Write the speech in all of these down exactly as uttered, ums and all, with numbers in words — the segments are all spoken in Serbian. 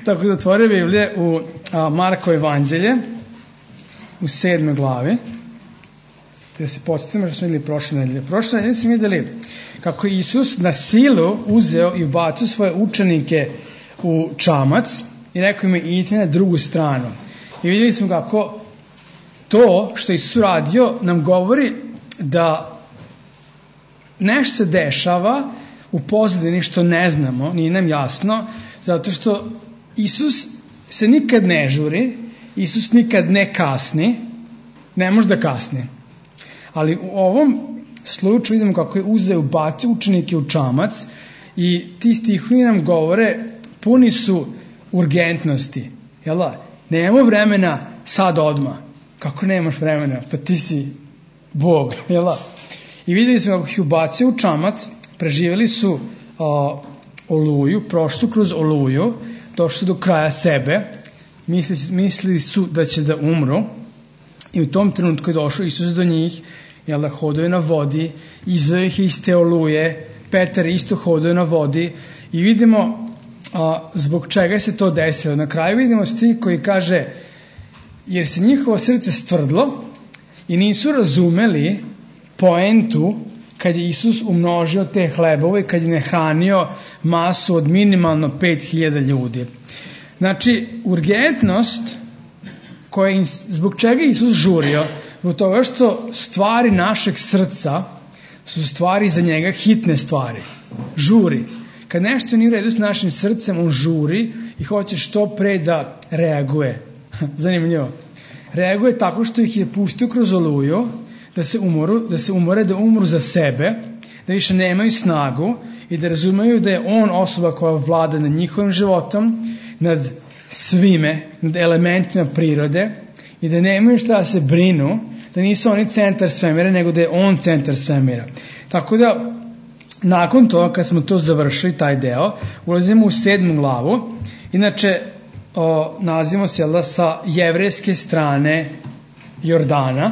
Tako da otvore Biblije u a, Markovo evanđelje u sedmoj glavi, da se podsjetimo što smo vidjeli prošle nedelje. Prošle nedelje smo vidjeli kako je Isus na silu uzeo i ubacio svoje učenike u čamac i rekao im idite na drugu stranu. I vidjeli smo kako to što je Isus uradio nam govori da nešto se dešava u pozadini što ne znamo, nije nam jasno, zato što Isus se nikad ne žuri, Isus nikad ne kasni, ne može da kasni. Ali u ovom slučaju vidimo kako je uzeo, ubacio učenike u čamac i ti stihovi nam govore, puni su urgentnosti. Jel da? Nemamo vremena sad odmah. Kako nemaš vremena? Pa ti si Bog. Jel da? I vidjeli smo kako ih ubacio u čamac, preživjeli su a, oluju, prošli su kroz oluju, došli su do kraja sebe, mislili, mislili su da će da umru i u tom trenutku je došao Isus do njih, jel da, hoduje na vodi, izveo ih iz te oluje, Petar isto hoduje na vodi i vidimo a, zbog čega se to desilo. Na kraju vidimo stih koji kaže, jer se njihovo srce stvrdlo i nisu razumeli poentu kad je Isus umnožio te hlebove, kad je nahranio masu od minimalno pet hiljada ljudi. Znači, urgentnost koja, zbog čega je Isus žurio, zbog toga što stvari našeg srca su stvari za njega hitne stvari. Žuri. Kad nešto nije u redu s našim srcem, on žuri i hoće što pre da reaguje. Zanimljivo. Reaguje tako što ih je pustio kroz oluju, da se umoru, da se umore, da umru za sebe, da više nemaju snagu i da razumeju da je on osoba koja vlada nad njihovim životom, nad svime, nad elementima prirode i da nemaju šta da se brinu, da nisu oni centar svemira, nego da je on centar svemira. Tako da, nakon toga, kad smo to završili, taj deo, ulazimo u sedmu glavu. Inače, o, nalazimo se jel da, sa jevrejske strane Jordana,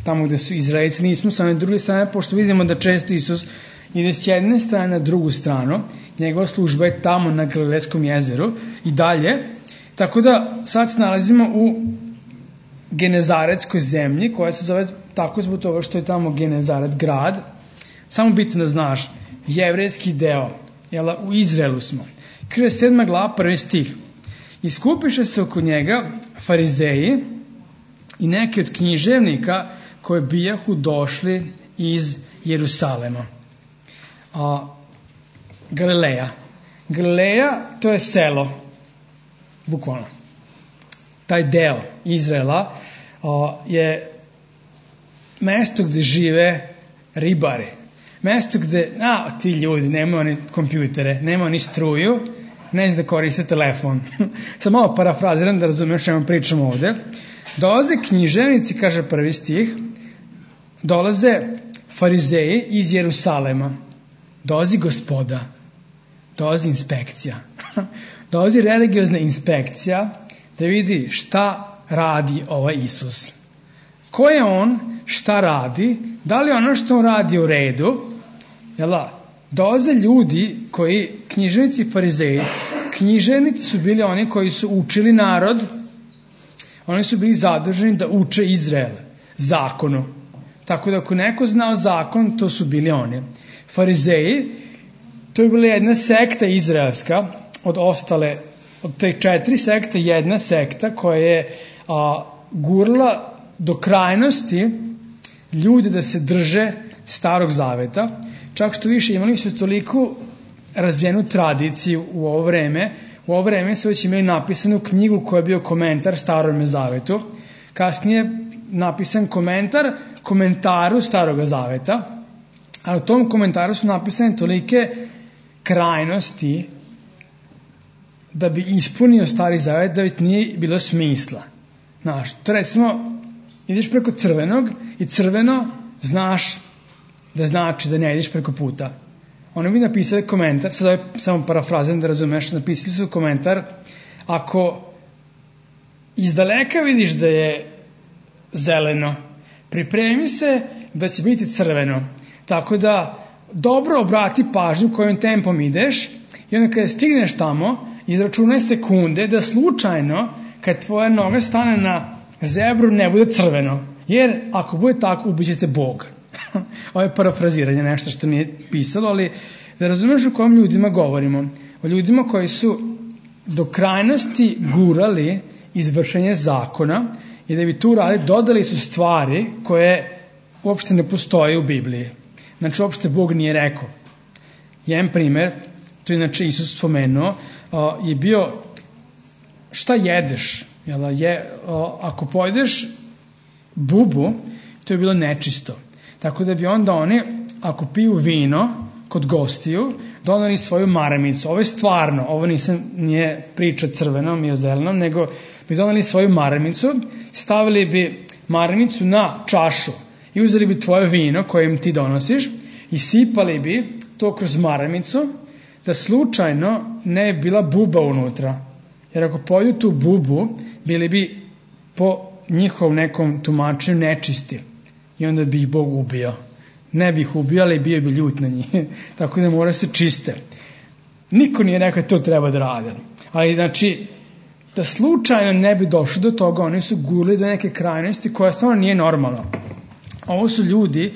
tamo gde su Izraelci, nismo sa druge strane, pošto vidimo da često Isus ide s jedne strane na drugu stranu, njegova služba je tamo na Galilejskom jezeru i dalje, tako da sad se nalazimo u Genezaretskoj zemlji, koja se zove tako zbog toga što je tamo Genezaret grad, samo bitno da znaš, jevrejski deo, jel, u Izraelu smo. Kaže sedma glava, prvi stih, iskupiše se oko njega farizeji i neki od književnika koji bijahu došli iz Jerusalema. A, Galileja. Galileja, to je selo, bukvalno. Taj deo Izraela a, je mesto gde žive ribari. Mesto gde, a, ti ljudi, nemaju oni kompjutere, nemaju oni struju, ne znam da koriste telefon. Sad malo parafraziram da razumiješ što pričamo ovde. Dolaze književnici, kaže prvi stih, dolaze farizeji iz Jerusalema, dolazi gospoda, dolazi inspekcija, dolazi religiozna inspekcija da vidi šta radi ovaj Isus. Ko je on, šta radi, da li ono što on radi u redu, jel da? Dolaze ljudi koji, književnici i farizeji, književnici su bili oni koji su učili narod, oni su bili zaduženi da uče Izrael zakonu. Tako da ako neko znao zakon, to su bili oni. Farizeji, to je bila jedna sekta izraelska, od ostale, od te četiri sekte, jedna sekta koja je a, gurla do krajnosti ljudi da se drže Starog zaveta. Čak što više imali su toliko razvijenu tradiciju u ovo vreme. U ovo vreme su već imali napisanu knjigu koja je bio komentar Starome zavetu. Kasnije napisan komentar komentaru Staroga zaveta. A u tom komentaru su napisane tolike krajnosti da bi ispunio Stari zavet da već nije bilo smisla. Znaš, to recimo, ideš preko crvenog i crveno znaš da znači da ne ideš preko puta. Oni bi napisali komentar, sada je samo parafrazem da razumeš, napisali su komentar, ako iz daleka vidiš da je zeleno, pripremi se da će biti crveno. Tako da dobro obrati pažnju kojim tempom ideš i onda kada stigneš tamo izračunaj sekunde da slučajno kad tvoja noga stane na zebru ne bude crveno, jer ako bude tako ubićete Boga. Ovo je parafraziranje, nešto što nije pisalo, ali da razumeš o kojim ljudima govorimo. O ljudima koji su do krajnosti gurali izvršenje zakona i da bi tu radili, dodali su stvari koje uopšte ne postoje u Bibliji. Znači, uopšte Bog nije rekao. Jedan primer, to je inače Isus spomenuo, je bio šta jedeš? Je, ako pojedeš bubu, to je bilo nečisto. Tako da bi onda oni, ako piju vino kod gostiju, donali svoju maramicu. Ovo je stvarno, ovo nisam, nije priča crvenom i o zelenom, nego bi donali svoju maramicu, stavili bi maramicu na čašu i uzeli bi tvoje vino koje im ti donosiš i sipali bi to kroz maramicu da slučajno ne je bila buba unutra. Jer ako poju tu bubu, bili bi po njihovom nekom tumačenju nečisti i onda bi ih Bog ubio. Ne bi ih ubio, ali bio bi ljut na njih. Tako da mora se čiste. Niko nije rekao da to treba da rade. Ali znači, da slučajno ne bi došlo do toga, oni su gurali do neke krajnosti koja stvarno nije normalna. Ovo su ljudi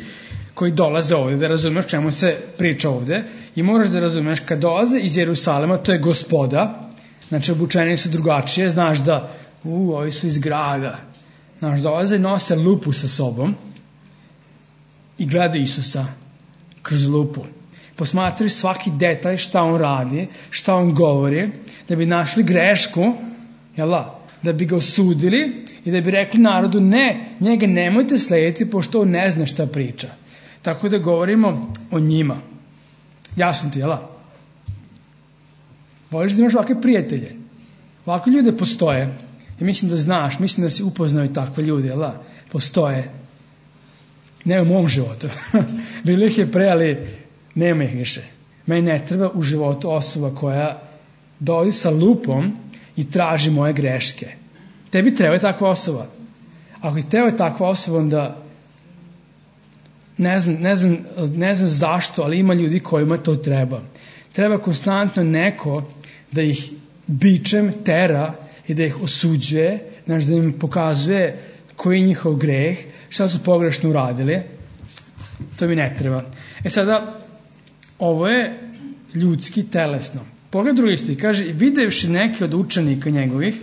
koji dolaze ovde, da razumeš čemu se priča ovde i moraš da razumeš kad dolaze iz Jerusalema, to je gospoda, znači obučeni su drugačije, znaš da u, ovi su iz grada, znaš, dolaze i nose lupu sa sobom i gledaju Isusa kroz lupu. Posmatraju svaki detalj šta on radi, šta on govori, da bi našli grešku, jela, da bi ga osudili i da bi rekli narodu ne, njega nemojte slediti pošto on ne zna šta priča. Tako da govorimo o njima. Jasno ti, jela? Voliš da imaš ovakve prijatelje? Ovakve ljude postoje. I mislim da znaš, mislim da si upoznao i takve ljude, jela? Postoje. Ne u mom životu. Bilo ih je pre, ali nema ih više. Meni ne treba u životu osoba koja dolazi sa lupom i traži moje greške. Tebi treba je takva osoba. Ako ti treba je takva osoba, onda ne znam, ne znam, ne znam zašto, ali ima ljudi kojima to treba. Treba konstantno neko da ih bičem tera i da ih osuđuje, znači da im pokazuje koji je njihov greh, šta su pogrešno uradili. To mi ne treba. E sada, ovo je ljudski, telesno. Pogled drugi stih, kaže, videvši neke od učenika njegovih,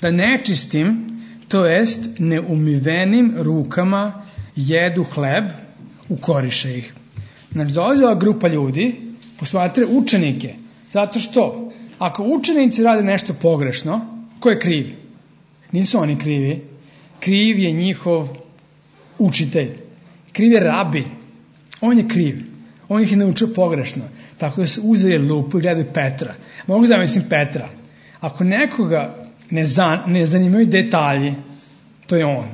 da nečistim, to jest neumivenim rukama jedu hleb, ukoriše ih. Znači, dolazi ova grupa ljudi, posmatre učenike, zato što, ako učenici rade nešto pogrešno, ko je kriv? Nisu oni krivi. Kriv je njihov učitelj. Kriv je rabi. On je kriv. On ih je naučio pogrešno. Tako da su uzeli lupu i gledaju Petra. Mogu zamislim Petra. Ako nekoga ne, zan, ne zanimaju detalji, to je on.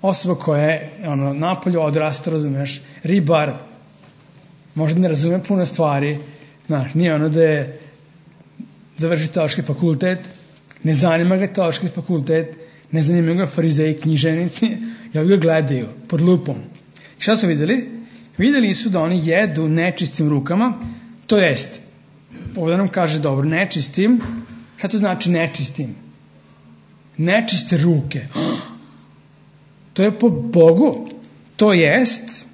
Osoba koja je ono, napolju odrasta, razumeš, ribar, možda ne razume puno stvari, znaš, nije ono da je završi teološki fakultet, ne zanima ga teološki fakultet, ne zanima ga farizeji, književnici, ja ga gledaju pod lupom. I šta su videli? Videli su da oni jedu nečistim rukama, to jest, ovdje nam kaže dobro, nečistim, šta to znači nečistim? Nečiste ruke. To je po Bogu, to jest,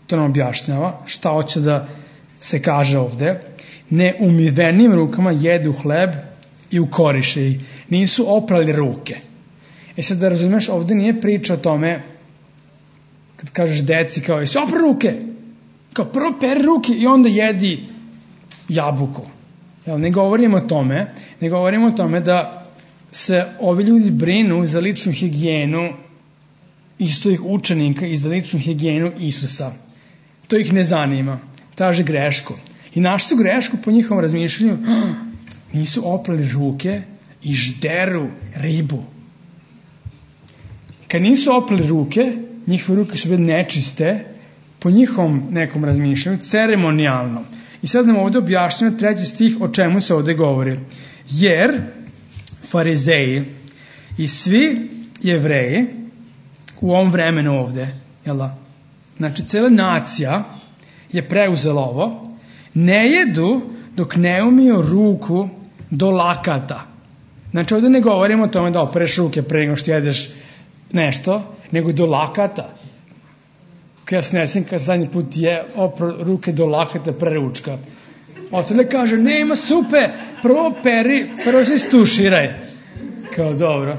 to nam objašnjava, šta hoće da se kaže ovde, neumivenim rukama jedu hleb i ukoriše ih. Nisu oprali ruke. E sad da razumeš, ovde nije priča o tome, kad kažeš deci kao, jesi opra ruke? Kao prvo peri ruke i onda jedi jabuku. Jel, ne govorimo o tome, ne govorimo o tome da se ovi ljudi brinu za ličnu higijenu Isusovih učenika i za ličnu higijenu Isusa. To ih ne zanima. Traže grešku. I našli su grešku po njihovom razmišljanju. Nisu oprali ruke i žderu ribu. Kad nisu oprali ruke, njihove ruke su bile nečiste, po njihovom nekom razmišljanju, ceremonijalno. I sad nam ovdje objašnjeno treći stih o čemu se ovdje govori. Jer farizeji i svi Jevreji u ovom vremenu ovdje, jel da? Znači, cijela nacija je preuzela ovo, ne jedu dok ne umiju ruku do lakata. Znači ovdje ne govorimo o tome da opereš ruke pre nego što jedeš nešto, nego do lakata. Ja se ne sjećam kad zadnji put je opro ruke do lakata pre ručka. Ostale kaže, nema supe, prvo peri, prvo se istuširaj. Kao dobro.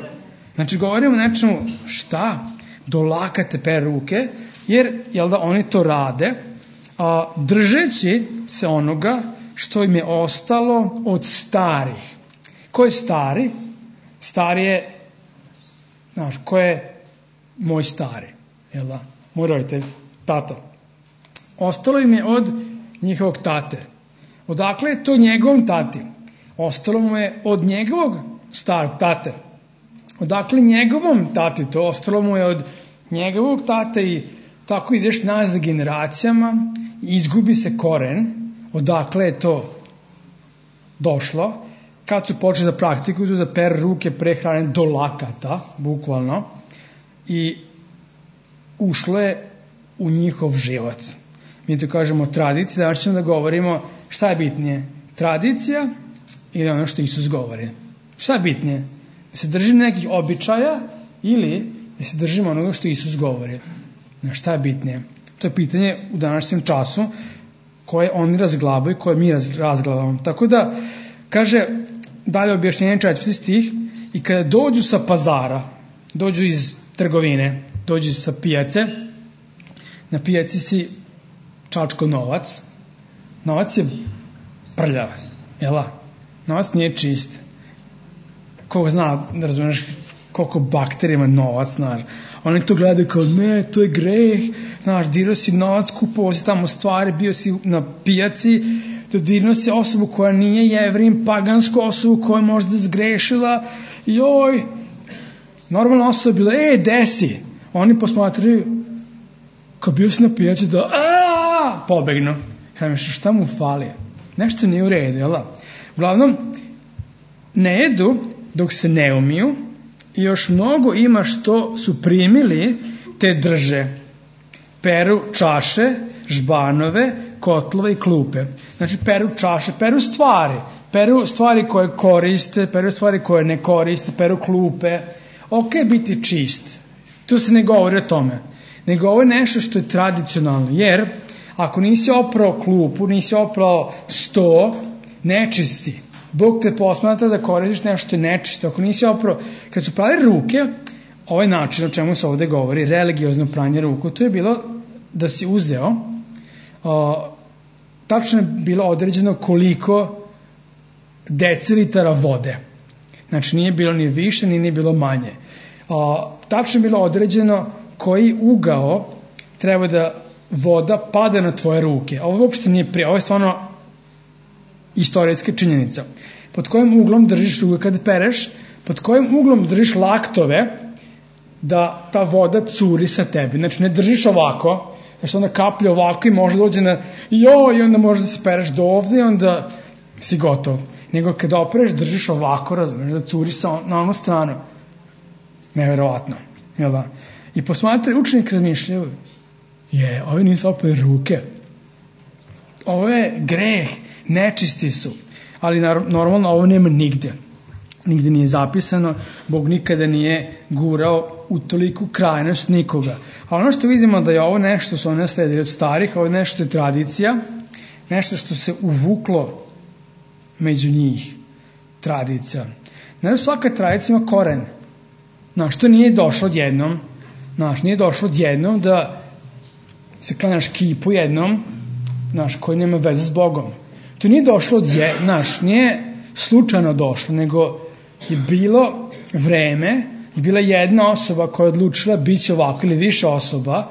Znači govorimo o nečemu šta? Do lakata pere ruke, jer jel da oni to rade, a, držeći se onoga što im je ostalo od starih. Ko je stari? Stari je, znaš, ko je moj stari? Jel da? Moj roditelj, tata. Ostalo im je od njihovog tate. Odakle je to njegovom tati? Ostalo mu je od njegovog starog tate. Odakle njegovom tati to? Ostalo mu je od njegovog tate i tako ideš nazad generacijama i izgubi se koren. Odakle je to došlo? Kad su počeli da praktikuju da per ruke prehrane do lakata, bukvalno, i ušlo je u njihov život. Mi to kažemo tradicija, danas ćemo da govorimo šta je bitnije, tradicija ili ono što Isus govori. Šta je bitnije? Da se držimo nekih običaja ili da se držimo onoga što Isus govori. Šta je bitnije? To je pitanje u današnjem času koje oni razglabaju i koje mi razglabamo. Tako da, kaže, dalje objašnjenje četvrti stih, i kada dođu sa pazara, dođu iz trgovine, dođu sa pijace, na pijaci si čačko novac, novac je prljav, jel? Novac nije čist. Koga zna, da razumiješ, koliko bakterija ima novac, znaš. Oni to gledaju kao, ne, to je greh, znaš, dirao si novac, kupovao si tamo stvari, bio si na pijaci, dodirnuo si osobu koja nije Jevrin, pagansku osobu koja je možda zgrešila, joj, normalna osoba je bila, e, desi. Oni posmatraju, kao bio si na pijaci, da, aaa, pobegnu. Kažem, šta mu fali? Nešto nije u redu, jel da? Uglavnom, ne jedu dok se ne umiju i još mnogo ima što su primili te drže. Peru čaše, žbanove, kotlove i klupe. Znači peru čaše, peru stvari. Peru stvari koje koriste, peru stvari koje ne koriste, peru klupe. Ok, biti čist. Tu se ne govori o tome. Ne govori nešto što je tradicionalno. Jer ako nisi oprao klupu, nisi oprao sto, nečist si. Bog te posmatra da koristiš nešto što je nečisto. Ako nisi oprao, kad su prali ruke, ovaj način o čemu se ovdje govori, religiozno pranje ruku, to je bilo da si uzeo, o, tačno je bilo određeno koliko decilitara vode. Znači nije bilo ni više, ni nije bilo manje. O, tačno je bilo određeno koji ugao treba da voda pada na tvoje ruke. Ovo uopšte nije prije, ovo je stvarno istorijska činjenica. Pod kojim uglom držiš ruke kad pereš, pod kojim uglom držiš laktove da ta voda curi sa tebi. Znači ne držiš ovako, znači onda kaplje ovako i može dođe na joj, i onda može da se pereš do ovde i onda si gotov. Nego kada opereš držiš ovako, razumiješ, da curi sa, na onu stranu. Neverovatno. Jel da? I posmatraj, učenik razmišljaju, je, ovi nisu opere ruke. Ovo je greh, nečisti su. Ali normalno ovo nema nigde. Nigde nije zapisano, Bog nikada nije gurao u toliku krajnost nikoga. A ono što vidimo da je ovo nešto su one sledili od starih, ovo je nešto je tradicija, nešto što se uvuklo među njih. Tradicija. Znači svaka tradicija ima koren. Znaš, to nije došlo odjednom. Znaš, nije došlo odjednom da se klanjaš kipu jednom, znaš, koji nema veze s Bogom. To nije došlo odjednom, znaš, nije slučajno došlo, nego je bilo vreme i bila jedna osoba koja je odlučila bit će ovako ili više osoba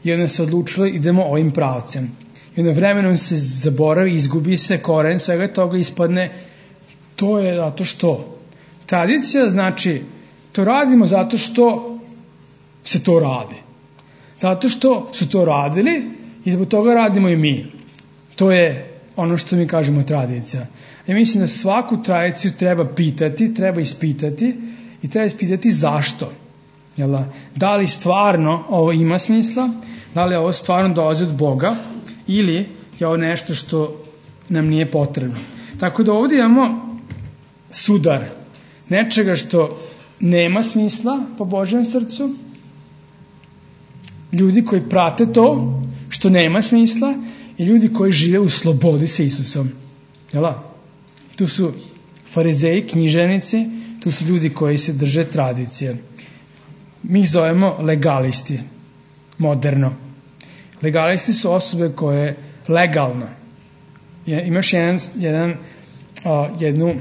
i onda se odlučila idemo ovim pravcem. I onda vremenom se zaboravi, izgubi se koren, svega toga ispadne, to je zato što. Tradicija znači, to radimo zato što se to radi. Zato što su to radili i zbog toga radimo i mi. To je ono što mi kažemo tradicija. Ja mislim da svaku tradiciju treba pitati, treba ispitati i treba ispitati zašto. Jel, da li stvarno ovo ima smisla, da li ovo stvarno dolazi od Boga ili je ovo nešto što nam nije potrebno. Tako da ovdje imamo sudar nečega što nema smisla po Božjem srcu, ljudi koji prate to što nema smisla i ljudi koji žive u slobodi sa Isusom. Jel' tu su farizeji, književnici, tu su ljudi koji se drže tradicije. Mi ih zovemo legalisti, moderno. Legalisti su osobe koje legalno. Imaš jedan, jedan, uh, jednu,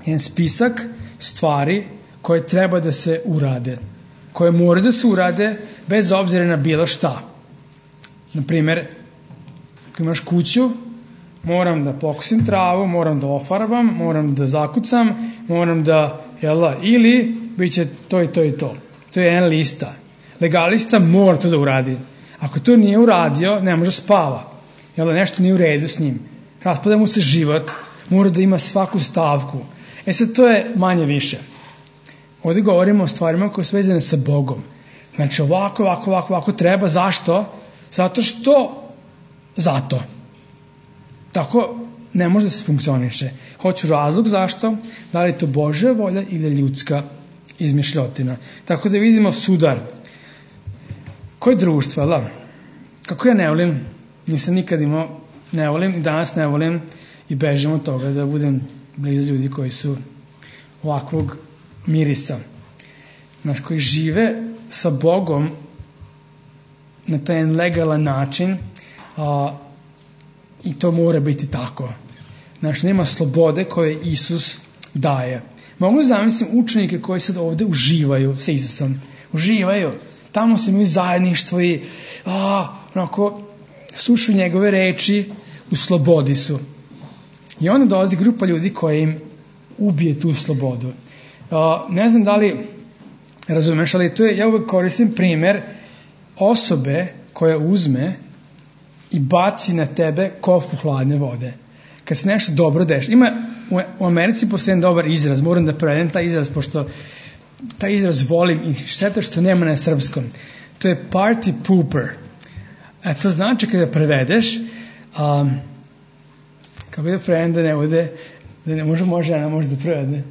jedan spisak stvari koje treba da se urade, koje moraju da se urade bez obzira na bilo šta. Naprimer, ako imaš kuću, moram da pokosim travu, moram da ofarbam, moram da zakucam, moram da, jela, ili bit će to i to i to. To je jedna lista. Legalista mora to da uradi. Ako to nije uradio, ne može spava. Jela, nešto nije u redu s njim. Raspada mu se život, mora da ima svaku stavku. E sad, to je manje više. Ovdje govorimo o stvarima koje su vezane sa Bogom. Znači, ovako, ovako, ovako, ovako treba. Zašto? Zato što zato. Tako ne može da se funkcioniše. Hoću razlog zašto, da li je to Božja volja ili ljudska izmišljotina. Tako da vidimo sudar. Koje društvo, la? Kako ja ne volim, nisam nikad imao, ne volim, i danas ne volim i bežim od toga da budem blizu ljudi koji su ovakvog mirisa. Znaš, koji žive sa Bogom na taj legalan način, a, i to mora biti tako. Znaš, nema slobode koje Isus daje. Mogu zamislim učenike koji sad ovde uživaju sa Isusom. Uživaju. Tamo se imaju zajedništvo i a, onako, slušaju njegove reči, u slobodi su. I onda dolazi grupa ljudi koja im ubije tu slobodu. A, ne znam da li razumeš, ali to je, ja uvek koristim primer osobe koja uzme i baci na tebe kofu hladne vode. Kad se nešto dobro dešava. Ima u Americi postoji dobar izraz, moram da prevedem taj izraz, pošto taj izraz volim i šteta što nema na srpskom. To je party pooper. A to znači kada prevedeš, um, kako da prevedem da ne bude, da ne može, može, žena može da prevede.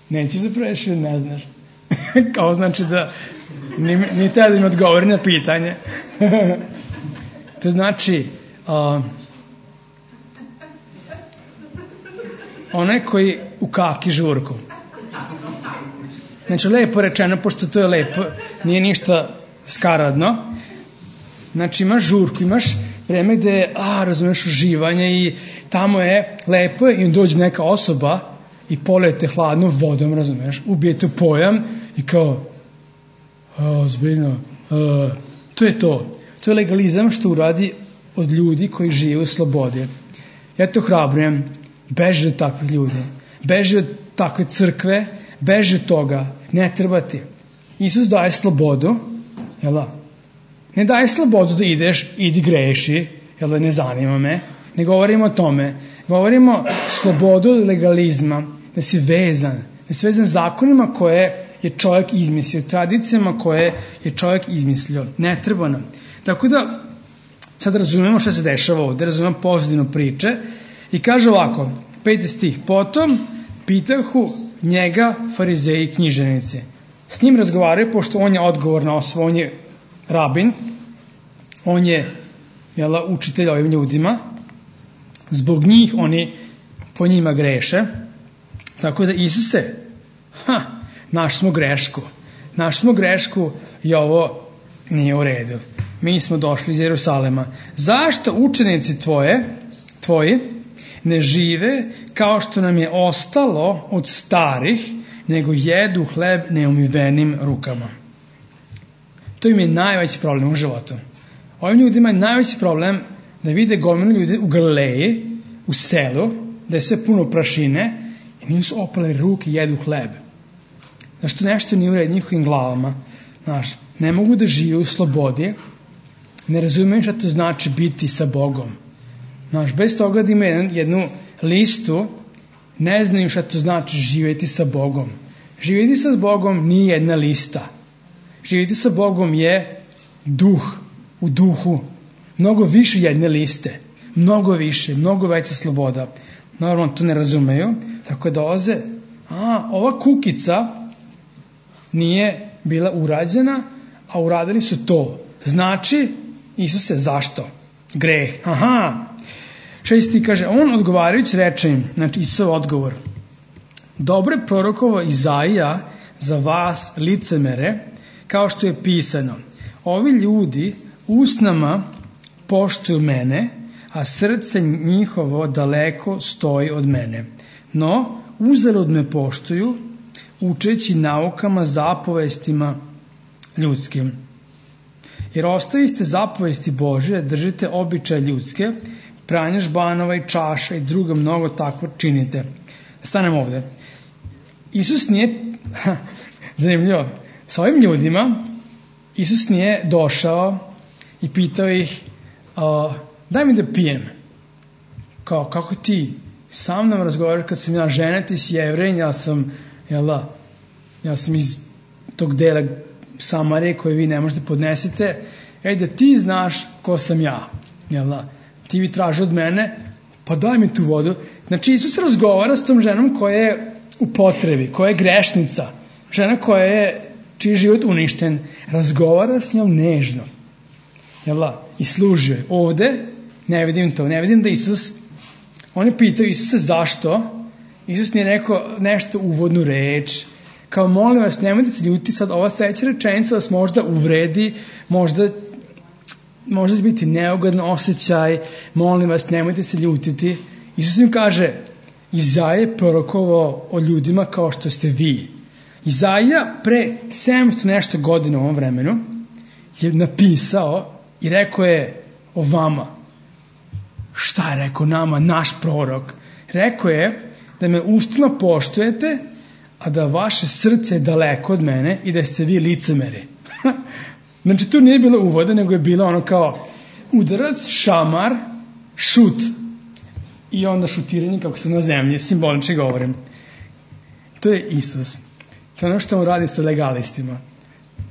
Nećeš da prevedeš ili ne znaš. Kao znači da ni, ni tada da mi odgovori na pitanje. To znači uh, onaj koji u kaki žurku. Znači, lepo rečeno, pošto to je lepo, nije ništa skaradno. Znači, imaš žurku, imaš vreme gde je, a, razumeš, uživanje i tamo je lepo i dođe neka osoba i polijete hladnom vodom, razumeš, ubijete pojam i kao, a, zbiljno, a, to je to. To je legalizam što uradi od ljudi koji žive u slobodi. Ja to hrabrujem, beži od takvih ljudi, beži od takve crkve, beži od toga, ne treba ti. Isus daje slobodu, jel da? Ne daje slobodu da ideš, idi greši, jel da, ne zanima me, ne govorimo o tome, govorimo slobodu od legalizma, da si vezan, da si vezan zakonima koje je čovjek izmislio, tradicijama koje je čovjek izmislio, ne treba nam. Tako da, sad razumemo šta se dešava ovdje, razumemo pozadinu priče i kaže ovako, peti stih, potom pitahu njega farizeji i književnici. S njim razgovaraju, pošto on je odgovorna osoba, on je rabin, on je jela, učitelj ovim ljudima, zbog njih oni po njima greše, tako da Isuse, ha, naš smo grešku, naš smo grešku i ovo nije u redu. Mi smo došli iz Jerusalema. Zašto učenici tvoje, tvoji, ne žive kao što nam je ostalo od starih, nego jedu hleb neumivenim rukama? To im je najveći problem u životu. Ovim ljudima je najveći problem da vide gomilu ljudi u Galileji, u selu, da je sve puno prašine i nisu su opali ruke i jedu hleb. Zašto nešto nije u redu njihovim glavama? Znaš, ne mogu da žive u slobodi, ne razumiju šta to znači biti sa Bogom. Znaš, bez toga da ima jednu listu, ne znaju šta to znači živjeti sa Bogom. Živjeti sa Bogom nije jedna lista. Živjeti sa Bogom je duh, u duhu. Mnogo više jedne liste. Mnogo više, mnogo veća sloboda. Normalno to ne razumeju, tako da dolaze a ova kukica nije bila urađena, a uradili su to. Znači, Isuse, zašto? Greh. Aha. Šesti kaže, on odgovarajući reče im, znači Isusov odgovor, dobro je prorokovo Izaija za vas licemere, kao što je pisano. Ovi ljudi usnama poštuju mene, a srce njihovo daleko stoji od mene. No, uzalud me poštuju, učeći naukama, zapovestima ljudskim. Jer ostaviste zapovesti Božje, držite običaje ljudske, pranje žbanova i čaša i drugo mnogo takvo činite. Stanemo ovde. Isus nije, zanimljivo, sa ovim ljudima Isus nije došao i pitao ih, uh, daj mi da pijem. Kao, kako ti sa mnom razgovaraš kad sam ja žena, ti si Jevrej, ja sam, jel da, ja sam iz tog dela Samarije koje vi ne možete podnesete, ej da ti znaš ko sam ja, jel da, ti vi traži od mene, pa daj mi tu vodu. Znači Isus razgovara s tom ženom koja je u potrebi, koja je grešnica, žena koja je, čiji život uništen, razgovara s njom nežno, jel da, i služi joj. Ovde ne vidim to, ne vidim da Isus, oni pitaju Isuse zašto, Isus nije rekao nešto uvodnu reč, kao molim vas, nemojte se ljuti, sad ova sledeća rečenica vas možda uvredi, možda možda će biti neugodan osjećaj, molim vas, nemojte se ljutiti. Isus im kaže, Izaija je prorokovao o ljudima kao što ste vi. Izaija pre sedamsto nešto godina u ovom vremenu je napisao i rekao je o vama. Šta je rekao nama, naš prorok? Rekao je da me ustima poštujete, a da vaše srce je daleko od mene i da ste vi licemeri. Znači, tu nije bilo uvoda, nego je bilo ono kao udarac, šamar, šut. I onda šutiranje, kako se na zemlji, simbolično govorim. To je Isus. To je ono što on radi sa legalistima.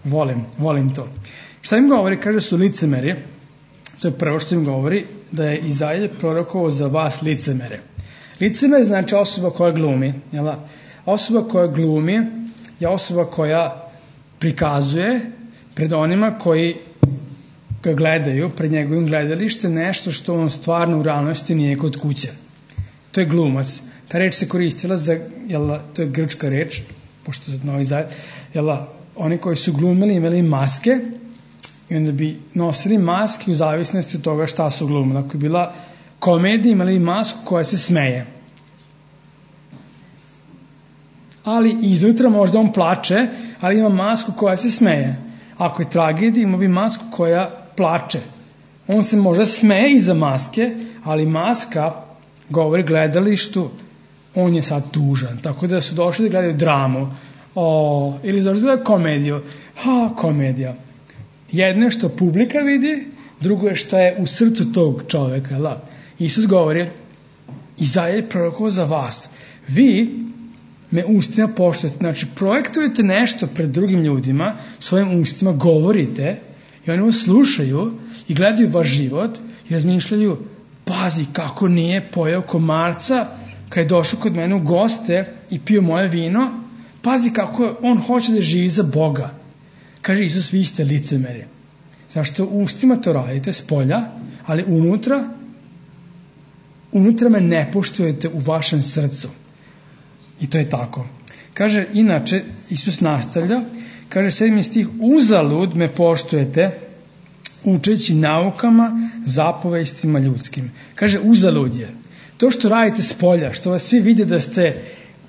Volim, volim to. Šta im govori? Kaže su licemeri. To je prvo što im govori, da je Izaija prorokovao za vas licemere. Licemer znači osoba koja glumi. Jel? Osoba koja glumi je osoba koja prikazuje pred onima koji ga gledaju, pred njegovim gledalištem, nešto što on stvarno u realnosti nije kod kuće. To je glumac. Ta reč se koristila za, jel, to je grčka reč, pošto je novi zajedno, jel, oni koji su glumili imali maske i onda bi nosili maske u zavisnosti od toga šta su glumili. Ako je bila komedija, imali masku koja se smeje. Ali iznutra možda on plače, ali ima masku koja se smeje. Ako je tragedija, ima bi masku koja plače. On se možda smeje iza maske, ali maska govori gledalištu, on je sad tužan. Tako da su došli da gledaju dramu. O, ili došli da gledaju komediju. Ha, komedija. Jedno je što publika vidi, drugo je što je u srcu tog čoveka. La. Isus govori, Izaija je prorokovao za vas. Vi me ustima poštujete. Znači, projektujete nešto pred drugim ljudima, svojim ustima govorite i oni vas slušaju i gledaju vaš život i razmišljaju, pazi kako nije pojeo komarca kad je došao kod mene u goste i pio moje vino, pazi kako on hoće da živi za Boga. Kaže Isus, vi ste licemeri. Zašto ustima to radite s polja, ali unutra unutra me ne poštujete u vašem srcu. I to je tako. Kaže, inače, Isus nastavlja, kaže sedmi stih, uzalud me poštujete učeći naukama, zapovestima ljudskim. Kaže, uzalud je. To što radite s polja, što vas svi vide da ste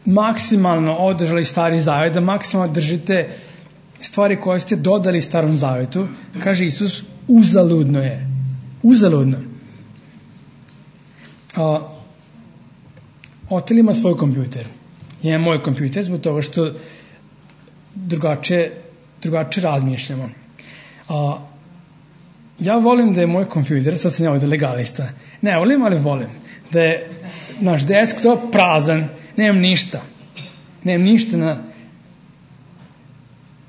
maksimalno održali Stari Zavet, da maksimalno držite stvari koje ste dodali Starom Zavetu, kaže Isus, uzaludno je. Uzaludno. A, Otel ima svoj kompjuter. Ja imam moj kompjuter zbog toga što drugačije, drugačije razmišljamo. A, ja volim da je moj kompjuter, sad sam ja ovdje legalista, ne volim, ali volim, da je naš desktop prazan, nemam ništa. Nemam ništa na...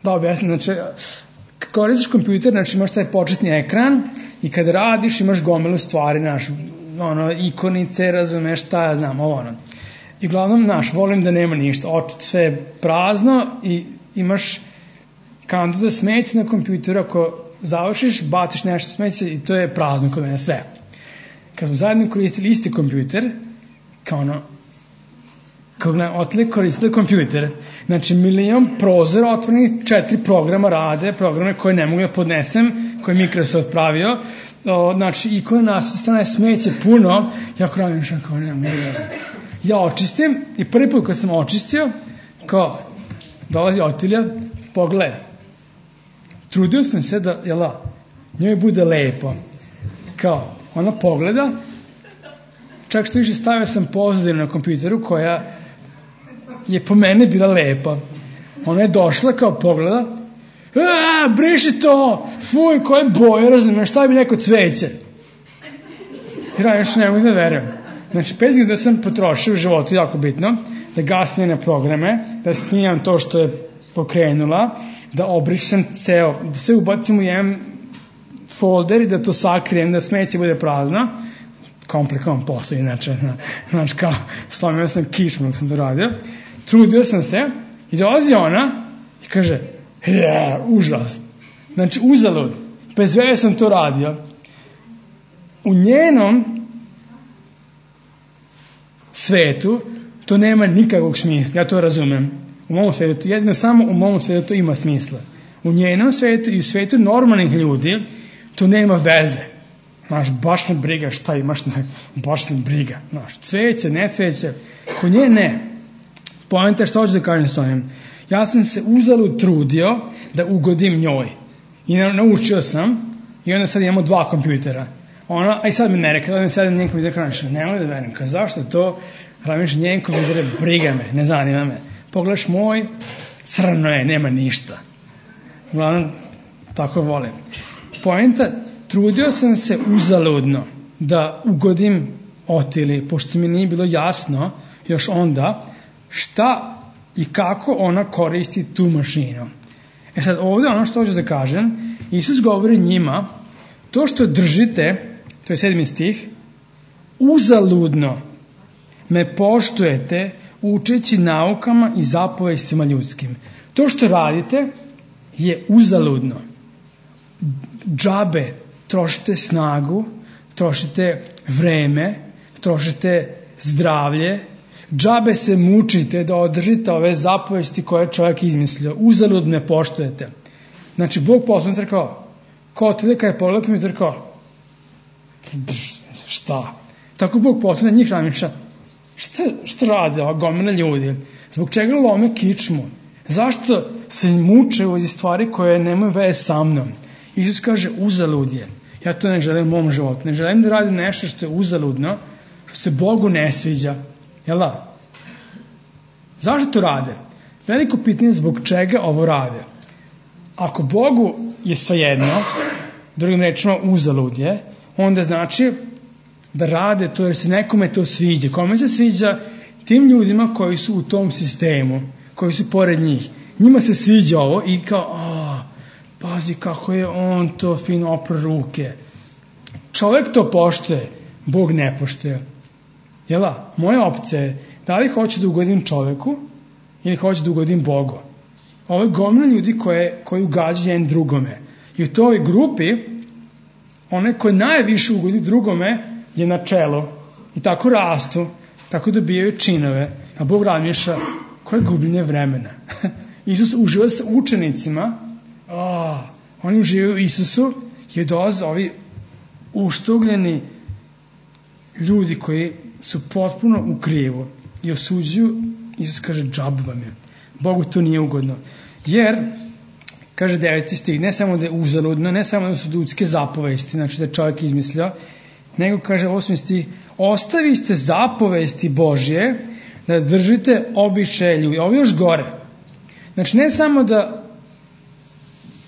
Da objasnim, znači, kad koristiš kompjuter, znači imaš taj početni ekran i kad radiš imaš gomilu stvari, znaš, ono, ikonice, razumeš, šta ja znam, ovo ono. I uglavnom, naš, volim da nema ništa, oči sve je prazno i imaš kantu za smeće na kompjuteru, ako završiš, baciš nešto smeće i to je prazno kod mene, sve. Kad smo zajedno koristili isti kompjuter, kao ono, kao gledam, otli koristili kompjuter, znači milion prozora otvorenih, četiri programa rade, programe koje ne mogu da podnesem, koje Microsoft pravio, o, znači ikone nas strane smeće puno, ja krajem što kao ne mogu da... Ja očistim i prvi put kad sam očistio, kao, dolazi Otilija, pogleda. Trudio sam se da, jela, njoj bude lepo. Kao, ona pogleda, čak što više stavio sam pozadinu na kompjuteru koja je po mene bila lepa. Ona je došla kao pogleda, a, briši to, fuj, koje boje, razumiješ, šta bi neko cveće? I ja još ne mogu da verujem. Znači, pet minuta sam potrošio u životu, jako bitno, da gasim njene programe, da snimam to što je pokrenula, da obrišem ceo, da se ubacim u jedan folder i da to sakrijem, da smeće bude prazno. Komplikovan posao, inače, znaš, kao, slomio sam kišmu dok sam to radio. Trudio sam se i dolazi ona i kaže, je, užas. Znači, uzalud. Bez veze sam to radio. U njenom svetu to nema nikakvog smisla, ja to razumem. U mom svetu, jedino samo u mom svetu to ima smisla. U njenom svetu i u svetu normalnih ljudi to nema veze. Znaš, baš me briga šta imaš, baš me briga. Znaš, cveće, ne cveće, kod nje ne. Poenta što hoću da kažem s ovim. Ja sam se uzalud trudio da ugodim njoj. I naučio sam i onda sad imamo dva kompjutera. Ona, a i sad mi ne rekla, da mi sad njen kompjuter kraniša, ne mogu da verim, kao zašto to, ramiš njen kompjuter, briga me, ne zanima me. Pogledaš moj, crno je, nema ništa. Uglavnom, tako volim. Poenta, trudio sam se uzaludno da ugodim Otili, pošto mi nije bilo jasno još onda šta i kako ona koristi tu mašinu. E sad, ovdje ono što hoću da kažem, Isus govori njima, to što držite, to je sedmi stih, uzaludno me poštujete učeći naukama i zapovestima ljudskim. To što radite je uzaludno. Džabe, trošite snagu, trošite vreme, trošite zdravlje, džabe se mučite da održite ove zapovesti koje je čovjek izmislio. Uzaludno me poštujete. Znači, Bog poslan crkao, ko te kada je pogledao mi je crkao, šta? Tako Bog poslan njih ramiša, šta, šta rade ova gomena ljudi? Zbog čega lome kičmu? Zašto se muče u stvari koje nemaju veze sa mnom? Isus kaže, uzalud je. Ja to ne želim u mom životu. Ne želim da radim nešto što je uzaludno, što se Bogu ne sviđa. Jel da? Zašto to rade? Veliko pitanje zbog čega ovo rade. Ako Bogu je svejedno, drugim rečima uzalud je, onda znači da rade to jer se nekome to sviđa. Kome se sviđa? Tim ljudima koji su u tom sistemu, koji su pored njih. Njima se sviđa ovo i kao, a, pazi kako je on to fino opro ruke. Čovjek to poštuje, Bog ne poštuje. Jela, moja opcija je da li hoću da ugodim čovjeku ili hoću da ugodim Bogu. Ovo je gomila ljudi koje, koji ugađaju jedan drugome. I u toj grupi, onaj koji najviše ugodi drugome je na čelu. I tako rastu, tako dobijaju činove. A Bog razmišlja, koje gubljenje vremena. Isus uživa sa učenicima, oh, oni uživaju u Isusu i dolaze ovi uštugljeni ljudi koji su potpuno u krivu i osuđuju. Isus kaže, džab vam je. Bogu to nije ugodno. Jer, kaže deveti stih, ne samo da je uzaludno, ne samo da su ljudske zapovesti, znači da je čovjek izmislio, nego kaže osmi stih, ostaviste zapovesti Božje da držite običaje ljudi. Ovo je još gore. Znači ne samo da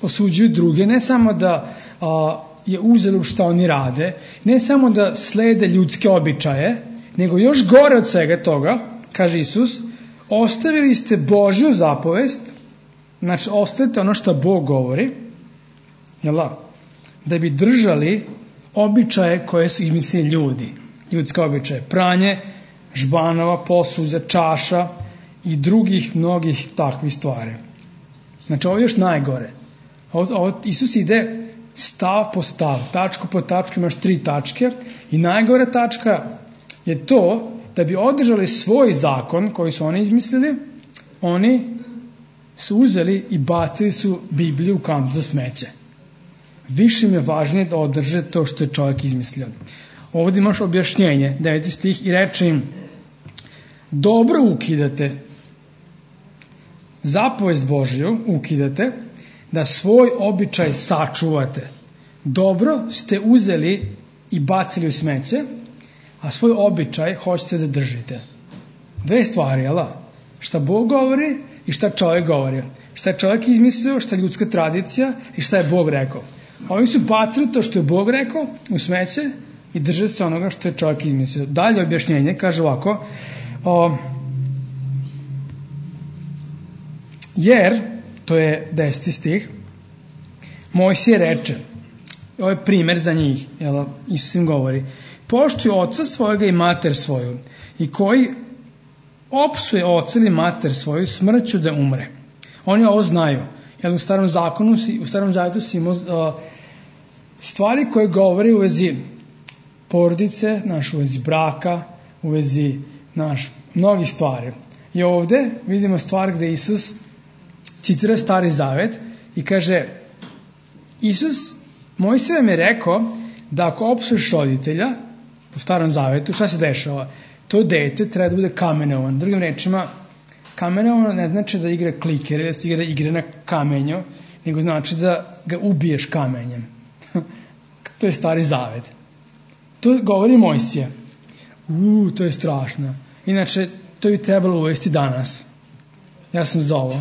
osuđuju druge, ne samo da a, je uzalud šta oni rade, ne samo da slede ljudske običaje, nego još gore od svega toga, kaže Isus, ostavili ste Božju zapovest, znači ostavite ono što Bog govori, jel, da bi držali običaje koje su izmislili ljudi, ljudske običaje, pranje žbanova, posuđa, čaša i drugih mnogih takvih stvari. Znači ovo je još najgore. Ovo, ovo, Isus ide stav po stav, tačku po tačku, imaš tri tačke i najgore tačka je to da bi održali svoj zakon koji su oni izmislili, oni su uzeli i bacili su Bibliju u kantu za smeće. Više im je važnije da održe to što je čovjek izmislio. Ovdje imaš objašnjenje, deveti stih, i reče im: dobro ukidate, zapovest Božju ukidate, da svoj običaj sačuvate. Dobro ste uzeli i bacili u smeće, a svoj običaj hoćete da držite. Dve stvari, jel' da? Šta Bog govori i šta čovjek govori. Šta je čovjek izmislio, šta je ljudska tradicija i šta je Bog rekao. Ovi su bacili to što je Bog rekao u smeće i drže se onoga što je čovjek izmislio. Dalje objašnjenje kaže ovako: o, jer, to je deseti stih, Mojsije reče, ovo je primer za njih, jel, Isus im govori: poštuj oca svojega i mater svoju, i koji opsuje oca ili mater svoju, smrću da umre. Oni ovo znaju, jer u starom zakonu, u starom zavetu si imao uh, stvari koje govori u vezi porodice, naš, u vezi braka, u vezi naš, mnogih stvari. I ovdje vidimo stvar gdje Isus citira Stari Zavet i kaže: Isus, Mojsije vam je rekao da ako opsuješ roditelja u Starom Zavetu, šta se dešava? To dete treba da bude kamenovan. Drugim rečima, kamenovan ne znači da igra klikere, da se igra igre na kamenju, nego znači da ga ubiješ kamenjem. To je Stari Zavet. To govori Mojsije. Uuu, to je strašno. Inače, to bi trebalo uvesti danas. Ja sam za ovo.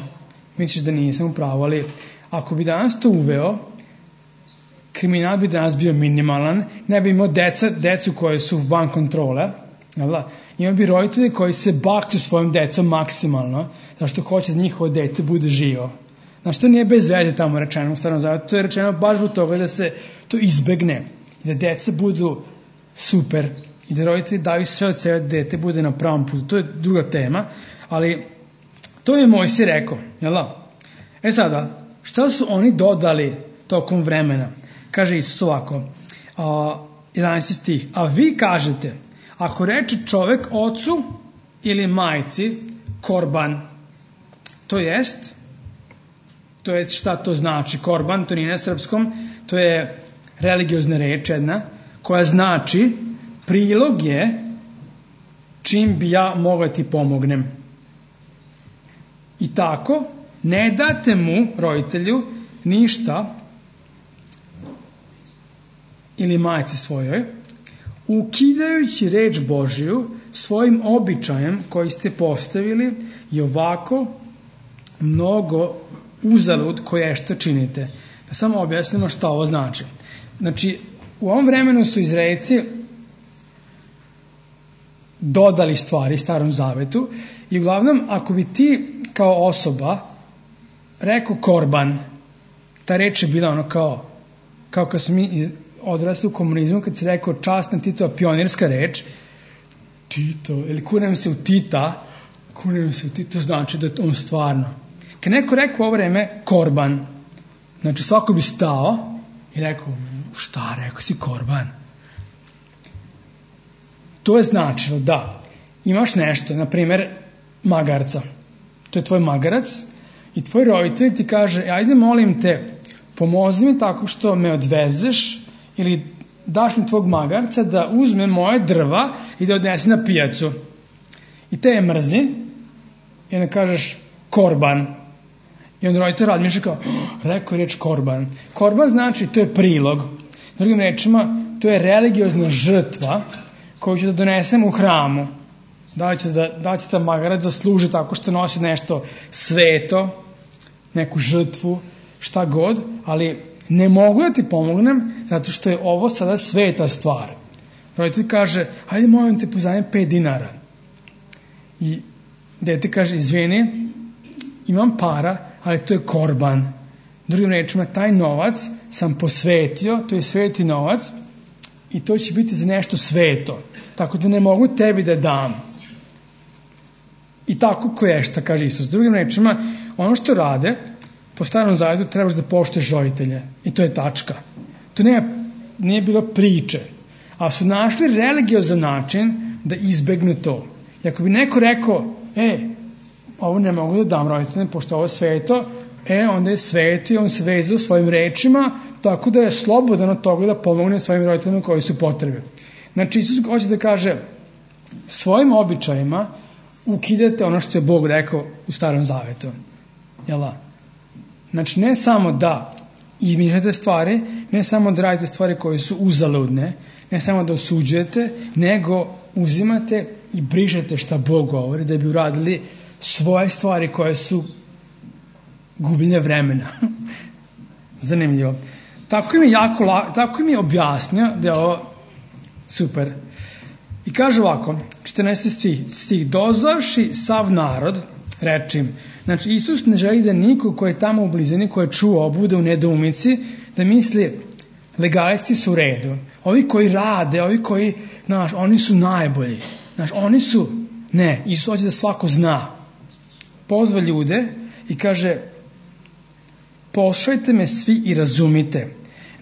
Misliš da nisam u pravu, ali ako bi danas to uveo, kriminal bi danas bio minimalan, ne bi imao deca, decu koje su van kontrole, jel'? Imao bi roditelji koji se bakću svojim decom maksimalno, zašto hoće da njihovo dete bude živo. Znači, to nije bez veze tamo rečeno u Starom Zavetu, to je rečeno baš zbog toga da se to izbegne i da deca budu super i da roditelji daju sve od sebe da dete bude na pravom putu. To je druga tema, ali to je Mojsije rekao, jel'? E sada, šta su oni dodali tokom vremena? Kaže Isus ovako, a, jedanaesti stih, a vi kažete, ako reče čovjek ocu ili majci korban, to jest, to je šta to znači korban, to nije na srpskom, to je religiozna reč jedna, koja znači prilog je čim bi ja mogao ti pomognem. I tako, ne date mu, roditelju, ništa ili majci svojoj, ukidajući reč Božju svojim običajem koji ste postavili i ovako mnogo uzalud koje što činite. Da samo objasnimo šta ovo znači. Znači, u ovom vremenu su Izraelci dodali stvari Starom Zavetu i uglavnom ako bi ti kao osoba rekao korban, ta reč je bila ono kao kao kad smo mi odrasli u komunizmu, kad se rekao časna Titova pionirska reč, Tito, ili kunem se u Tita, kunem se u Tito, znači da je on stvarno. Kad neko rekao ovo vreme korban, znači svako bi stao i rekao, šta rekao si korban? To je značilo da imaš nešto, na primjer magarca, to je tvoj magarac i tvoj roditelj ti kaže, ajde molim te, pomozi mi tako što me odvezeš ili daš mi tvog magarca da uzme moje drva i da odnese na pijacu. I te je mrzi i onda kažeš korban. I onda roditelj razmišlja kao, rekao je reč korban. Korban znači, to je prilog. Drugim rečima, to je religiozna žrtva koju ću da donesem u hramu. Da li će, da, da li će ta magarac zasluži tako što nosi nešto sveto, neku žrtvu, šta god, ali ne mogu da ti pomognem zato što je ovo sada sveta stvar. Roditelj kaže, hajde molim te pozajmi pet dinara. I dete kaže, izvini, imam para, ali to je korban. Drugim rečima, taj novac sam posvetio, to je sveti novac i to će biti za nešto sveto. Tako da ne mogu tebi da dam. i tako koješta, kaže Isus. Drugim rečima, ono što rade, po starom zavetu trebaš da poštuješ roditelje. I to je tačka. To nije, nije bilo priče. A su našli religiozan način da izbegnu to. I ako bi neko rekao, e, ovo ne mogu da dam roditeljima, pošto ovo je sveto, e, onda je sveto i on se vezao svojim rečima, tako da je slobodan od toga da pomogne svojim roditeljima koji su potrebe. Znači, Isus hoće da kaže, svojim običajima ukidate ono što je Bog rekao u Starom Zavetu. Jel' Znači, ne samo da izmišljate stvari, ne samo da radite stvari koje su uzaludne, ne samo da osuđujete, nego uzimate i brišete šta Bog govori, da bi uradili svoje stvari koje su gubljenje vremena. Zanimljivo. Tako mi je, jako, tako mi je objasnio da je ovo super. I kaže ovako, četrnaesti stih, stih dozvavši sav narod, rečim, znači Isus ne želi da niko ko je tamo u blizini, ko je čuo, bude u nedoumici, da misli legalisti su u redu. Ovi koji rade, ovi koji, znaš, oni su najbolji. Znaš, oni su, ne, Isus hoće da svako zna. Pozva ljude i kaže, poslušajte me svi i razumite.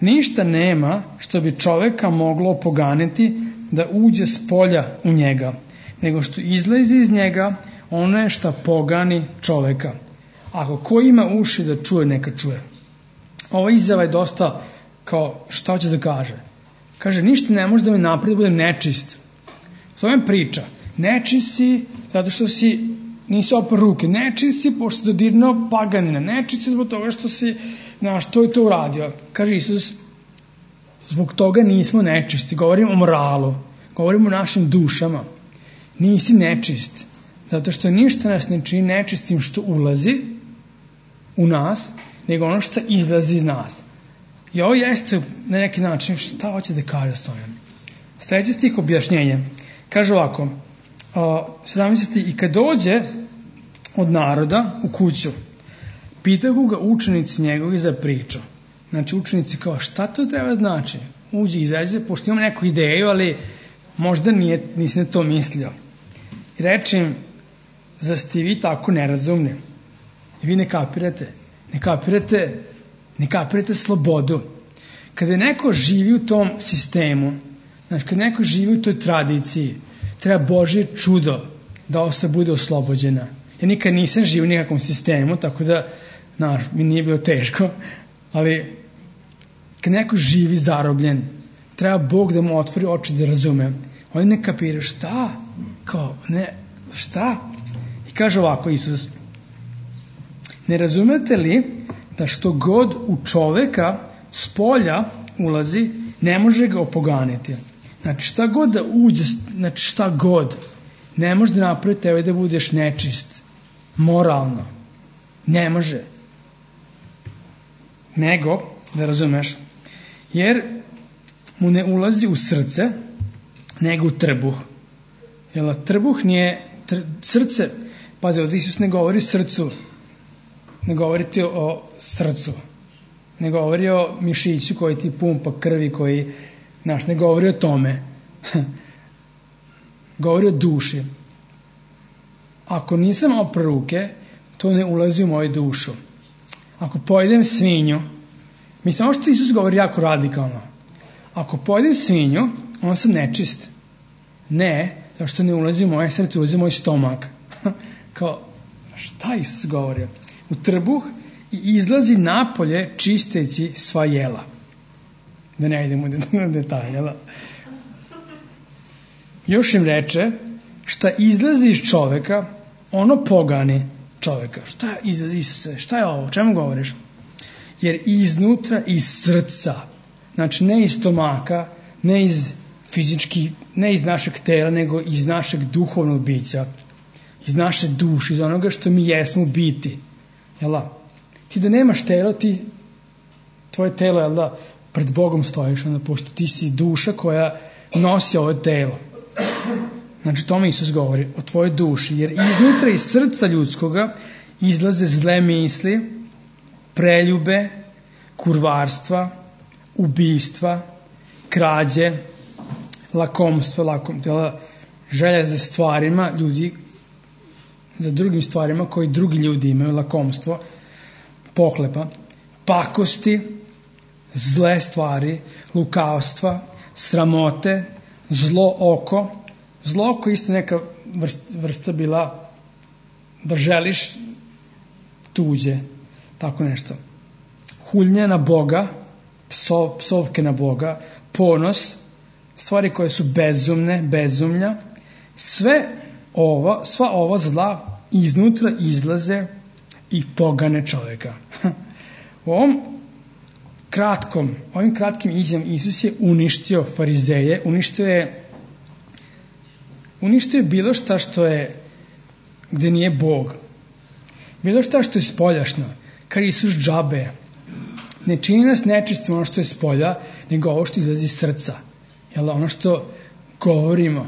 Ništa nema što bi čoveka moglo opoganiti da uđe s polja u njega, nego što izlazi iz njega, ono je šta pogani čoveka. Ako ko ima uši da čuje, neka čuje. Ova izjava je dosta kao, šta hoće da kaže? Kaže, ništa ne može da me napravi da budem nečist. To je priča. Nečist si zato što si nisi opar ruke. Nečist si pošto si dodirnuo paganina. Nečist si zbog toga što si, znaš, to i to uradio. Kaže Isus, zbog toga nismo nečisti. Govorim o moralu. Govorim o našim dušama. Nisi nečist. Zato što ništa nas ne čini nečistim što ulazi u nas, nego ono što izlazi iz nas. I ovo jeste na neki način šta hoće da kaže s ovim. Sljedeći stih objašnjenje. Kaže ovako, sedamnaesti i kad dođe od naroda u kuću, pitahu ga učenici njegovi za priču. Znači učenici kao šta to treba znači? Uđe, izađe, pošto imam neku ideju, ali možda nije, nisam to mislio. I reče im, zar ste vi tako nerazumni? I vi ne kapirate. Ne kapirate, ne kapirate slobodu. Kada neko živi u tom sistemu, znači kada neko živi u toj tradiciji, treba Božje čudo da osoba bude oslobođena. Ja nikad nisam živio u nikakvom sistemu, tako da, znaš, mi nije bilo teško, ali kad neko živi zarobljen, treba Bog da mu otvori oči da razume. Oni ne kapiraju šta? Kao, ne, šta? I kaže ovako Isus, ne razumete li da što god u čoveka s polja ulazi, ne može ga opoganiti. Znači šta god da uđe, znači šta god, ne može da napravi tebe da budeš nečist, moralno. Ne može. Nego, da razumeš, jer mu ne ulazi u srce, nego u trbuh. Jer trbuh nije, tr, srce, pazi, ovdje Isus ne govori srcu, ne govori ti o srcu, ne govori o mišiću koji ti pumpa krvi, koji, znaš, ne govori o tome. Govori o duši. Ako nisam opra ruke, to ne ulazi u moju dušu. Ako pojedem svinju, mislim, ovo što Isus govori jako radikalno. Ako pojedem svinju, on sam nečist. Ne, zato što ne ulazi u moje srce, ulazi u moj stomak. Kao, šta Isus govori? U trbuh i izlazi napolje čisteći sva jela. Da ne idemo u detalje. Još im reče, šta izlazi iz čoveka, ono pogani čoveka. Šta izlazi Isuse? Šta je ovo? O čemu govoriš? Jer iznutra, iz srca, znači ne iz stomaka, ne iz fizički, ne iz našeg tela, nego iz našeg duhovnog bića, iz naše duše, iz onoga što mi jesmo biti. Jel' ti da nemaš telo, ti, tvoje telo, jel' da, pred Bogom stojiš, onda, pošto ti si duša koja nosi ovo telo. Znači, tome Isus govori o tvojoj duši, jer iznutra iz srca ljudskoga izlaze zle misli, preljube, kurvarstva, ubijstva, krađe, lakomstva, lakom, želja za stvarima, ljudi za drugim stvarima koji drugi ljudi imaju, lakomstvo, pohlepa, pakosti, zle stvari, lukavstva, sramote, zlo oko. Zlo oko isto neka vrsta, vrsta bila da želiš tuđe, tako nešto. Hulnje na Boga, psov, psovke na Boga, ponos, stvari koje su bezumne, bezumlja, sve ovo, sva ova zla iznutra izlaze i pogane čovjeka. U ovom kratkom, ovim kratkim izjavom Isus je uništio farizeje, uništio je uništio je bilo šta što je gde nije Bog. Bilo šta što je spoljašno, kar Isus džabe. Ne čini nas nečistim ono što je spolja, nego ovo što izlazi iz srca. Jel, ono što govorimo,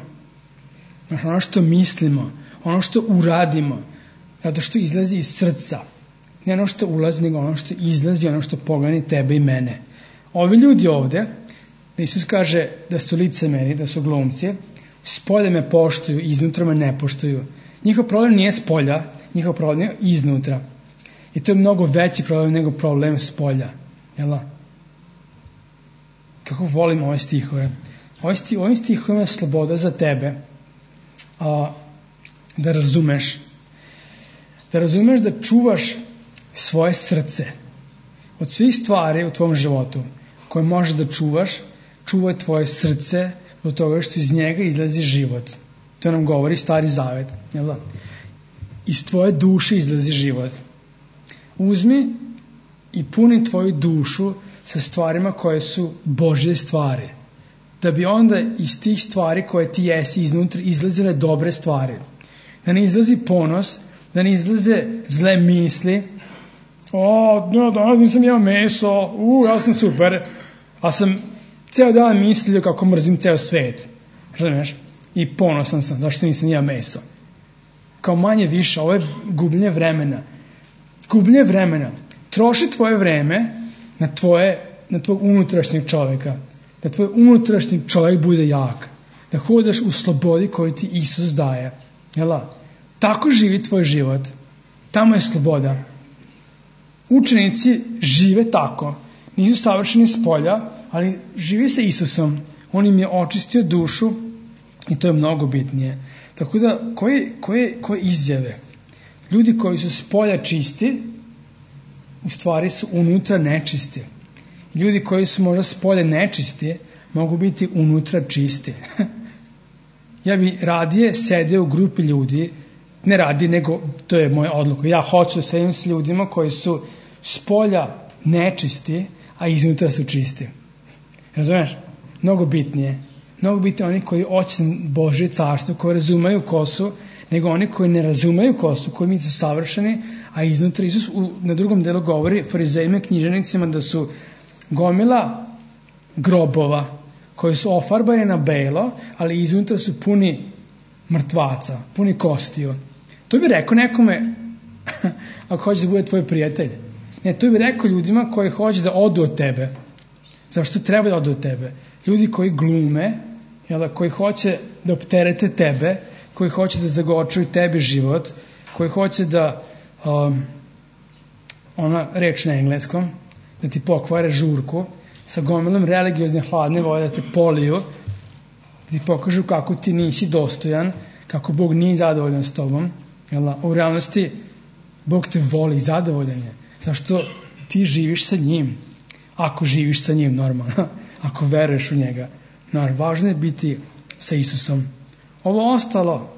ono što mislimo, ono što uradimo, zato što izlazi iz srca. Ne ono što ulazi, nego ono što izlazi, ono što pogani tebe i mene. Ovi ljudi ovde, da Isus kaže da su licemeri, da su glumci, spolja me poštuju, iznutra me ne poštuju. Njihov problem nije spolja, njihov problem je iznutra. I to je mnogo veći problem nego problem spolja. Jel? Kako volim ove stihove. Ove sti, ovim stihovima je sloboda za tebe a, da razumeš. Da razumeš da čuvaš svoje srce. Od svih stvari u tvom životu koje možeš da čuvaš, čuvaj tvoje srce do toga što iz njega izlazi život. To nam govori Stari Zavet. Jel da? Iz tvoje duše izlazi život. Uzmi i puni tvoju dušu sa stvarima koje su Božje stvari. Da bi onda iz tih stvari koje ti jesi iznutra izlazile dobre stvari. Da ne izlazi ponos, da ne izlaze zle misli. O, no, danas nisam jeo meso, u, ja sam super. A sam ceo dan mislio kako mrzim ceo svet. Razumiješ? I ponosan sam, zašto nisam jeo meso. Kao manje više, ovo je gubljenje vremena. Gubljenje vremena. Troši tvoje vreme na tvoje, na tvoj unutrašnjeg čovjeka. Da tvoj unutrašnji čovjek bude jak. Da hodaš u slobodi koju ti Isus daje. Jela? Tako živi tvoj život. Tamo je sloboda. Učenici žive tako. Nisu savršeni s polja, ali živi sa Isusom. On im je očistio dušu i to je mnogo bitnije. Tako da, koje, koje, koje izjave? Ljudi koji su s polja čisti, u stvari su unutra nečisti. Ljudi koji su možda s polja nečisti, mogu biti unutra čisti. Ja bi radije sedio u grupi ljudi, ne radi, nego to je moja odluka. Ja hoću da sedim s ljudima koji su s polja nečisti, a iznutra su čisti. Razumeš? Mnogo bitnije. Mnogo bitnije oni koji hoće Božje carstvo, koji razumeju ko su, nego oni koji ne razumeju ko su, koji mi su savršeni, a iznutra Isus u, na drugom delu govori farizejima i književnicima da su gomila grobova koji su ofarbani na belo, ali iznutra su puni mrtvaca, puni kostiju. To bi rekao nekome ako hoće da bude tvoj prijatelj. Ne, to bi rekao ljudima koji hoće da odu od tebe. Zašto treba da odu od tebe? Ljudi koji glume, jel, koji hoće da opterete tebe, koji hoće da zagorčuju tebi život, koji hoće da um, ona reč na engleskom, da ti pokvare žurku, sa gomilom religiozne hladne vode da te poliju, da ti pokažu kako ti nisi dostojan, kako Bog nije zadovoljan s tobom. Jel, u realnosti Bog te voli i zadovoljan je. Zašto ti živiš sa njim? Ako živiš sa njim, normalno. Ako veruješ u njega. Naravno, važno je biti sa Isusom. Ovo ostalo,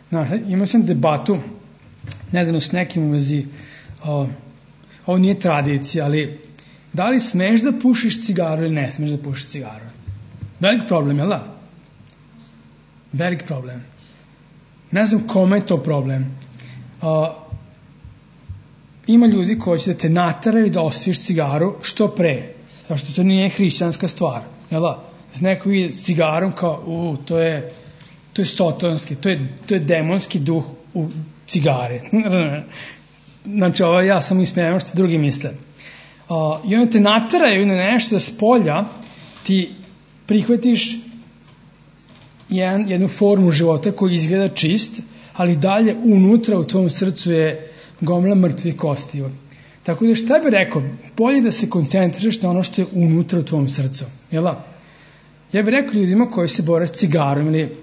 naravno, imao sam debatu nedavno s nekim u vezi, o, ovo nije tradicija, ali da li smeš da pušiš cigaru ili ne smeš da pušiš cigaru? Velik problem, jel da? Velik problem. Ne znam kome je to problem. O, ima ljudi koji će da te nateraju da osviješ cigaru što pre. Zašto to nije hrišćanska stvar. Jel da? Neko vidi cigarom kao, u, to je, to je sotonski, to je, to je demonski duh u cigare. Znači, ovo ja sam ismijem što drugi misle. Uh, I onda te nateraju na nešto da s polja ti prihvatiš jedan, jednu formu života koji izgleda čist, ali dalje unutra u tvom srcu je gomila mrtvih kostiju. Tako da šta bih rekao, bolje da se koncentrišeš na ono što je unutra u tvom srcu. Jel da? Ja bih rekao ljudima koji se bore s cigarom ili,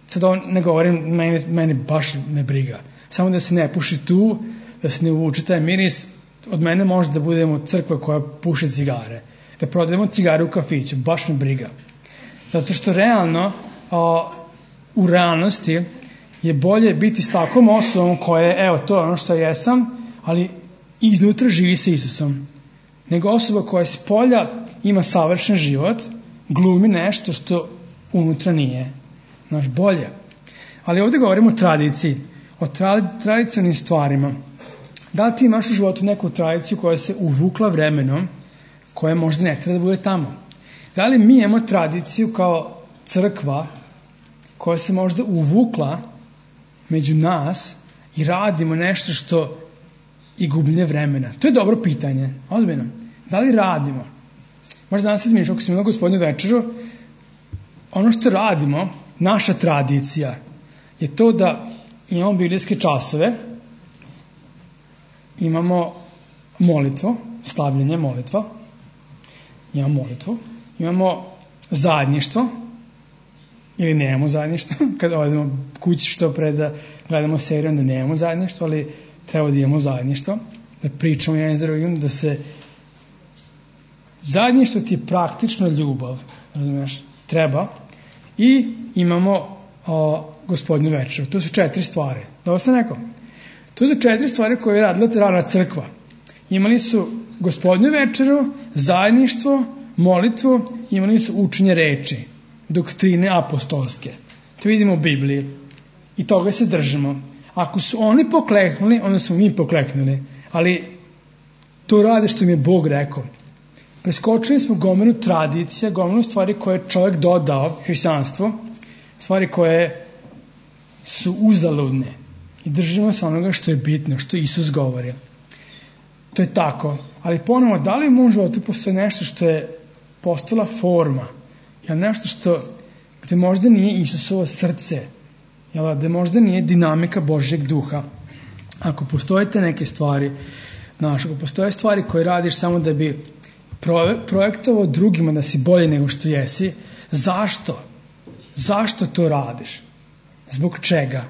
sad on ne govorim, meni, meni baš me briga. Samo da se ne puši tu, da se ne uvuče taj miris, od mene može da budemo crkva koja puše cigare. Da prodajemo cigare u kafiću, baš me briga. Zato što realno, a, u realnosti je bolje biti s takvom osobom koja je, evo, to je ono što jesam, ali iznutra živi sa Isusom. Nego osoba koja s polja ima savršen život, glumi nešto što unutra nije. Znaš, bolje. Ali ovdje govorimo o tradiciji, o tra- tradicionalnim stvarima. Da li ti imaš u životu neku tradiciju koja se uvukla vremenom, koja možda ne treba da bude tamo? Da li mi imamo tradiciju kao crkva koja se možda uvukla među nas i radimo nešto što i gubljenje vremena? To je dobro pitanje, ozbiljno. Da li radimo? Možda danas izmišljamo, ako smo imali Gospodnju večeru, ono što radimo, naša tradicija, je to da imamo biblijske časove, imamo molitvo, slavljenje molitva, imamo molitvu, imamo zajedništvo, ili nemamo zajedništvo, kada odemo kući što pre da gledamo seriju, onda nemamo zajedništvo, ali treba da imamo zajedništvo, da pričamo jedan s drugim, da se zajedništvo ti je praktično ljubav, razumiješ, treba, i imamo o, Gospodnju večeru. To su četiri stvari. Dobro sam rekao? To su četiri stvari koje je radila rana crkva. Imali su Gospodnju večeru, zajedništvo, molitvu, imali su učenje reči, doktrine apostolske. To vidimo u Bibliji. I toga se držimo. Ako su oni pokleknuli, onda smo mi pokleknuli. Ali to rade što mi je Bog rekao. Preskočili smo gomilu tradicija, gomilu stvari koje je čovjek dodao hrišćanstvo, stvari koje su uzaludne. I držimo se onoga što je bitno, što Isus govori. To je tako. Ali ponovo, da li u mom životu postoji nešto što je postala forma? Jel nešto što, gde možda nije Isusovo srce? Jel gde možda nije dinamika Božjeg duha? Ako postoje te neke stvari, znaš, ako postoje stvari koje radiš samo da bi projektovao drugima da si bolje nego što jesi, zašto? Zašto to radiš? Zbog čega?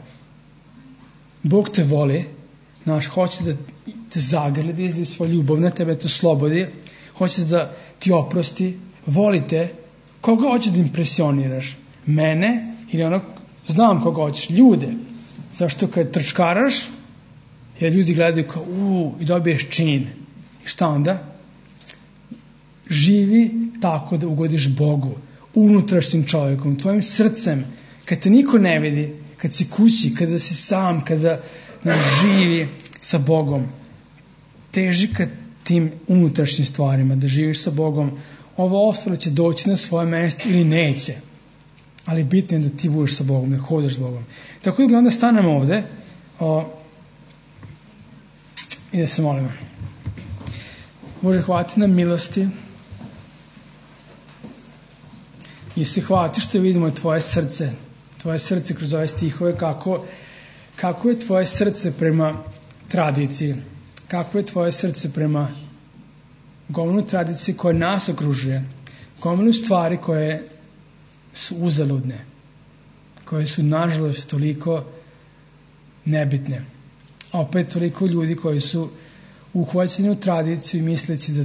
Bog te voli, znaš, hoće da te zagrli, da izdaje svoj ljubav na tebe, to slobodi, hoće da ti oprosti, volite, koga hoćeš da impresioniraš? Mene ili onog, znam koga hoćeš, ljude. Zašto kad trčkaraš, jer ljudi gledaju kao, uuu, i dobiješ čin. I šta onda? Živi tako da ugodiš Bogu, unutrašnjim čovjekom, tvojim srcem, kad te niko ne vidi, kad si kući, kada si sam, kada nam živi sa Bogom. Teži ka tim unutrašnjim stvarima, da živiš sa Bogom. Ovo ostalo će doći na svoje mjesto ili neće. Ali bitno je da ti budeš sa Bogom, da hodaš s Bogom. Tako da onda stanemo ovde o, i da se molimo. Bože, hvala ti na milosti i se hvala ti što vidimo tvoje srce, tvoje srce kroz ove stihove, kako, kako je tvoje srce prema tradiciji, kako je tvoje srce prema gomilu tradicije koja nas okružuje, gomilu stvari koje su uzaludne, koje su nažalost toliko nebitne, a opet toliko ljudi koji su uhvaćeni u tradiciju i misleći da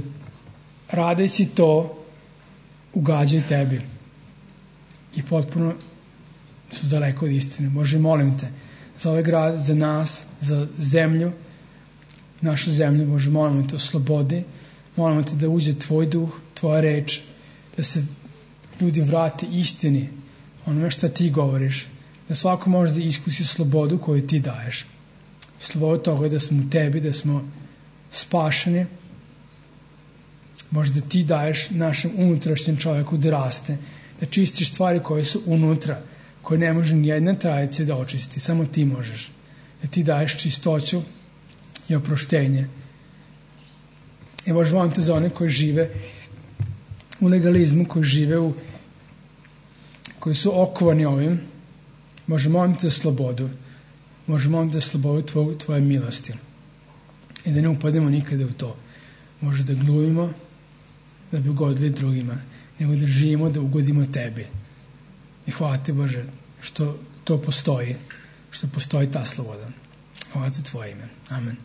radeći to ugađaju tebi i potpuno su daleko od istine. Bože, molim te za ovaj grad, za nas, za zemlju, našu zemlju, Bože, molimo te o slobodi, molimo te da uđe tvoj duh, tvoja reč, da se ljudi vrate istini, onome što ti govoriš, da svako može da iskusi slobodu koju ti daješ. Slobodu toga da smo u tebi, da smo spašeni, možda ti daješ našem unutrašnjem čovjeku da raste, da čistiš stvari koje su unutra, koje ne može nijedna tradicija da očisti, samo ti možeš. Da ti daješ čistoću i oproštenje. I Bože, molim te za one koji žive u legalizmu, koji žive u, koji su okovani ovim, Bože, molim te za slobodu. možemo onda slobodu tvoje, tvoje milosti i da ne upademo nikada u to. Može da glumimo da bi ugodili drugima, nego da živimo da ugodimo tebi. I hvala ti, Bože, što to postoji, što postoji ta sloboda. Hvala ti u tvoje ime. Amen.